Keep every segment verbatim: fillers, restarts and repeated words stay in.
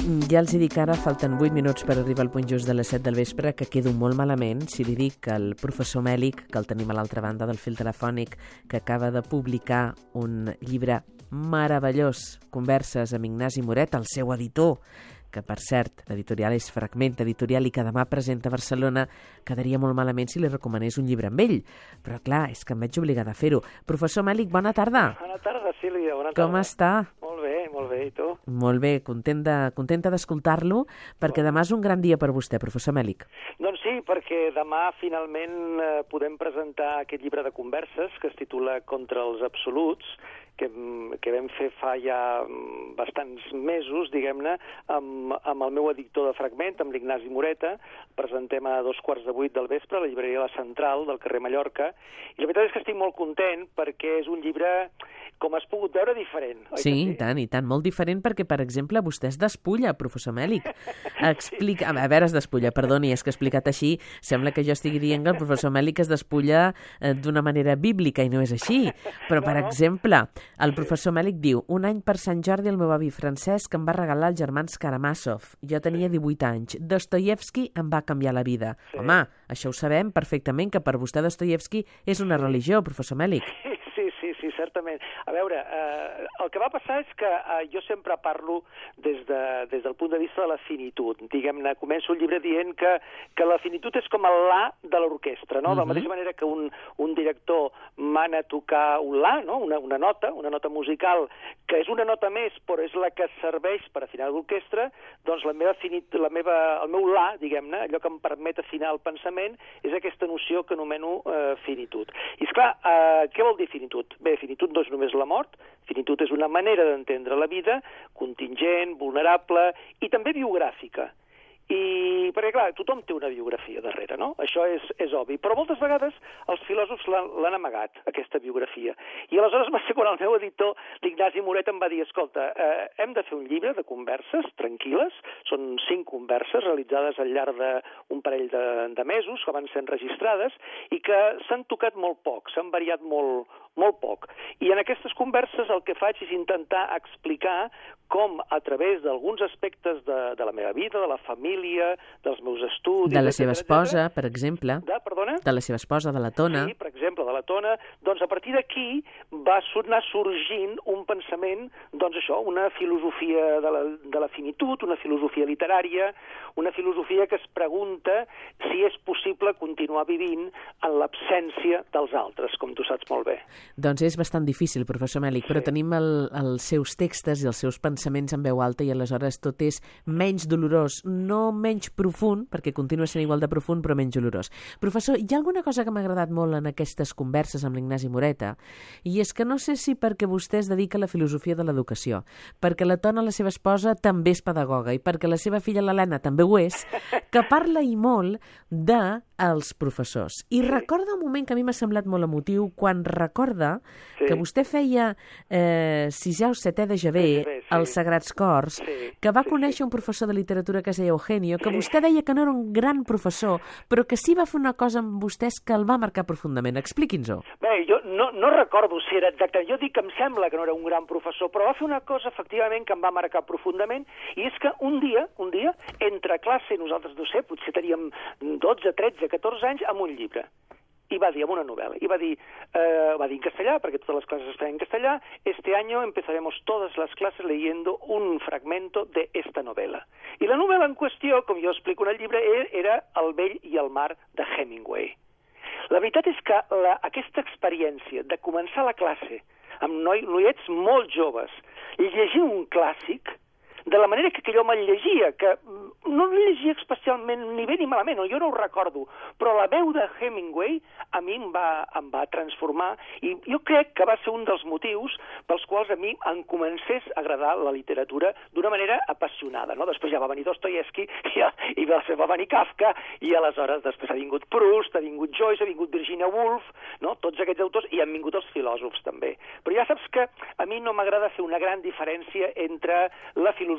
Ja els hi dic ara, falten vuit minuts per arribar al punt just de les set del vespre, que quedo molt malament si li dic que el professor Mèlich, que el tenim a l'altra banda del fil telefònic, que acaba de publicar un llibre meravellós, Converses amb Ignasi Moret, el seu editor, que per cert, l'editorial és Fragment Editorial i que demà presenta a Barcelona, quedaria molt malament si li recomanés un llibre amb ell. Però clar, és que em veig obligada a fer-ho. Professor Mèlich, bona tarda. Bona tarda, Sílvia, bona tarda. Com està? Molt bé, molt bé, i tu? Molt bé, contenta, contenta d'escoltar-lo, perquè demà és un gran dia per vostè, professor Mèlich. Doncs sí, perquè demà finalment eh, podem presentar aquest llibre de converses que es titula Contra els absoluts, que, que vam fer fa ja bastants mesos, diguem-ne, amb, amb el meu editor de Fragment, amb l'Ignasi Moreta. Presentem a dos quarts de vuit del vespre a la llibreria La Central del carrer Mallorca. I la veritat és que estic molt content perquè és un llibre, com has pogut veure, diferent. Oi sí, sí, i tant, i tant. Molt diferent perquè, per exemple, vostè es despulla, professor Mèlich. Explica... A veure, es despulla, perdoni, és que explicat així sembla que jo estigui dient que el professor Mèlich es despulla eh, d'una manera bíblica i no és així. Però, per no, no. exemple, el professor Mèlich diu: un any per Sant Jordi el meu avi Francesc em va regalar els germans Karamazov. Jo tenia divuit anys. Dostoievski em va canviar la vida. Sí. Home, això ho sabem perfectament, que per vostè Dostoievski és una religió, professor Mèlich. Sí, sí, sí, certament. A veure, eh, el que va passar és que eh, jo sempre parlo des, de, des del punt de vista de la finitud. Diguem-ne, començo el llibre dient que, que la finitud és com el la de l'orquestra, no? Uh-huh. De la mateixa manera que un, un director mana tocar un la, no? una, una nota, una nota musical, que és una nota més, però és la que serveix per afinar l'orquestra, doncs la meva finit, la meva, el meu la, diguem-ne, allò que em permet afinar el pensament, és aquesta noció que anomeno eh, finitud. I esclar, eh, què vol dir finitud? Bé, finitud no és només la mort, finitud és una manera d'entendre la vida, contingent, vulnerable i també biogràfica. I, perquè clar, tothom té una biografia darrere, no? Això és, és obvi. Però moltes vegades els filòsofs l'han amagat, aquesta biografia. I aleshores va ser quan el meu editor, l'Ignasi Moret, em va dir: escolta, eh, hem de fer un llibre de converses tranquil·les, són cinc converses realitzades al llarg d'un parell de, de mesos, que van ser enregistrades, i que s'han tocat molt poc, s'han variat molt, molt poc. I en aquestes converses el que faig és intentar explicar com, a través d'alguns aspectes de, de la meva vida, de la família, dels meus estudis... De la seva esposa, per exemple. De, perdona? De la seva esposa, de la Tona. Sí, per exemple, de la Tona. Doncs a partir d'aquí va anar sorgint un pensament, doncs això, una filosofia de la, de la finitud, una filosofia literària, una filosofia que es pregunta si és possible continuar vivint en l'absència dels altres, com tu saps molt bé. Doncs és bastant difícil, professor Mèlich, sí. Però tenim el, els seus textos i els seus pensaments en veu alta i aleshores tot és menys dolorós, no menys profund, perquè continua sent igual de profund, però menys dolorós. Professor, hi ha alguna cosa que m'ha agradat molt en aquestes converses amb l'Ignasi Moreta, i és que no sé si perquè vostè es dedica a la filosofia de l'educació, perquè la Tona, la seva esposa, també és pedagoga, i perquè la seva filla, l'Helena, també ho és, que parla i molt de els professors. I recorda un moment que a mi m'ha semblat molt emotiu quan recorda sí. que vostè feia eh, sisè o setè de Javé sí, sí. als Sagrats Cors, sí. que va sí, conèixer sí. un professor de literatura que es deia Eugenio, que sí. vostè deia que no era un gran professor, però que sí va fer una cosa amb vostès que el va marcar profundament. Expliqui'ns-ho. Bé, jo no, no recordo si era exacte. Jo dic que em sembla que no era un gran professor, però va fer una cosa, efectivament, que em va marcar profundament, i és que un dia, un dia, entre classe, nosaltres, no sé, potser teníem dotze, tretze, catorze anys, amb un llibre. I va dir, amb una novel·la, i va dir, eh, va dir en castellà, perquè totes les classes es feien en castellà: este año empezaremos todas las clases leyendo un fragmento de esta novela. I la novel·la en qüestió, com jo explico en el llibre, era El vell i el mar, de Hemingway. La veritat és que la, aquesta experiència de començar la classe amb noi, noiets molt joves, llegir un clàssic, de la manera que jo me'l llegia, que no el llegia especialment ni bé ni malament, jo no ho recordo, però la veu de Hemingway a mi em va, em va transformar, i jo crec que va ser un dels motius pels quals a mi em comencés a agradar la literatura d'una manera apassionada, no? Després ja va venir Dostoievski, i, i va venir Kafka, i aleshores després ha vingut Proust, ha vingut Joyce, ha vingut Virginia Woolf, no? Tots aquests autors, i han vingut els filòsofs també. Però ja saps que a mi no m'agrada fer una gran diferència entre la filosofia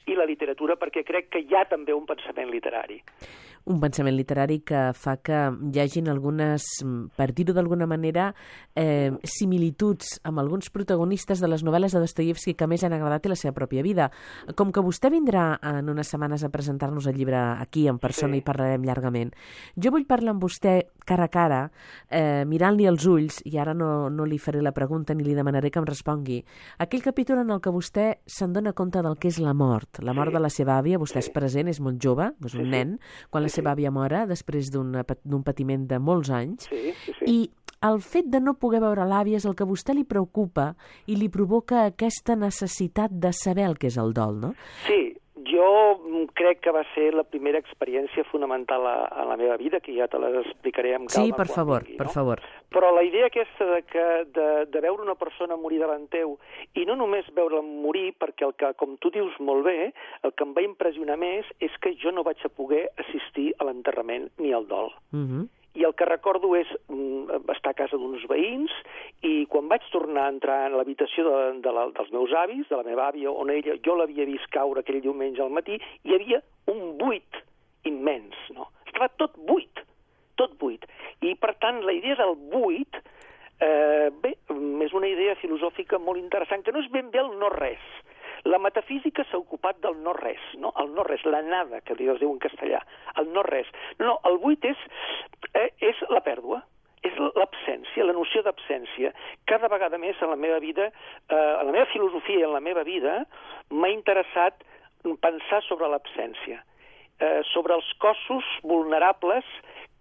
i la literatura, perquè crec que hi ha també un pensament literari. Un pensament literari que fa que hi hagin algunes, per dir-ho d'alguna manera, eh, similituds amb alguns protagonistes de les novel·les de Dostoievski que més han agradat i la seva pròpia vida. Com que vostè vindrà en unes setmanes a presentar-nos el llibre aquí en persona, sí, i parlarem llargament, jo vull parlar amb vostè cara a cara, eh, mirant-li als ulls, i ara no, no li faré la pregunta ni li demanaré que em respongui, aquell capítol en el que vostè se'n dona compte del que és la mort, la mort, sí, de la seva àvia. Vostè, sí, és present, és molt jove, és un, sí, nen, quan la seva àvia mora després d'un patiment de molts anys, sí, sí, sí. I el fet de no poder veure l'àvia és el que a vostè li preocupa i li provoca aquesta necessitat de saber el que és el dol, no? Sí, jo crec que va ser la primera experiència fonamental a, a la meva vida, que ja te l'explicaré amb calma. Sí, per favor, vingui, per no? favor. Però la idea aquesta de, que, de, de veure una persona morir davant teu, i no només veure'l morir, perquè el que, com tu dius molt bé, el que em va impressionar més és que jo no vaig a poder assistir a l'enterrament ni al dol. Mhm. I el que recordo és mm, estar a casa d'uns veïns, i quan vaig tornar a entrar en l'habitació de, de la, dels meus avis, de la meva àvia, on ella, jo l'havia vist caure aquell diumenge al matí, hi havia un buit immens, no? Estava tot buit, tot buit. I, per tant, la idea del buit, eh, bé, és una idea filosòfica molt interessant, que no és ben bé el no-res. La metafísica s'ha ocupat del no-res, no? El no-res, la nada, que es diu en castellà, el no-res. No, el buit és, eh, és la pèrdua, és l'absència, la noció d'absència. Cada vegada més en la meva vida, eh, en la meva filosofia i en la meva vida, m'ha interessat pensar sobre l'absència, eh, sobre els cossos vulnerables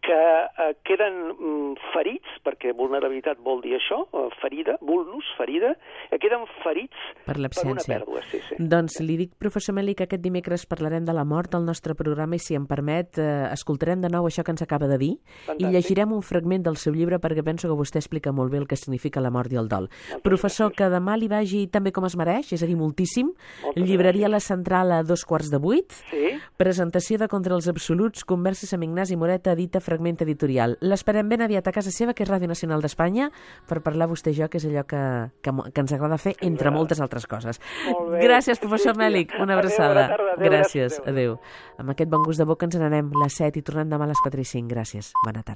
que eh, queden mm, ferits, perquè vulnerabilitat vol dir això, eh, ferida, vulnus, ferida, que queden ferits per, per una pèrdua. Sí, sí. Doncs li dic, professor Meli, que aquest dimecres parlarem de la mort al nostre programa i, si em permet, eh, escoltarem de nou això que ens acaba de dir. Fantàstic. I llegirem un fragment del seu llibre perquè penso que vostè explica molt bé el que significa la mort i el dol. Moltes Professor, gràcies. Que demà li vagi també com es mereix, és a dir, moltíssim. Moltes Llibreria gràcies. La Central a dos quarts de vuit. Sí. Presentació de Contra els Absoluts, converses amb Ignasi Moreta, edita Fragment Editorial. L'esperem ben aviat a casa seva, que és Ràdio Nacional d'Espanya, per parlar vostè i jo, que és allò que, que, que ens agrada fer, entre moltes altres coses. Gràcies, professor Mèlich. Una abraçada. Adéu, adéu, gràcies. Adéu. Amb aquest bon gust de boca ens n'anem les set i tornem demà a les quatre i cinc. Gràcies. Bona tarda.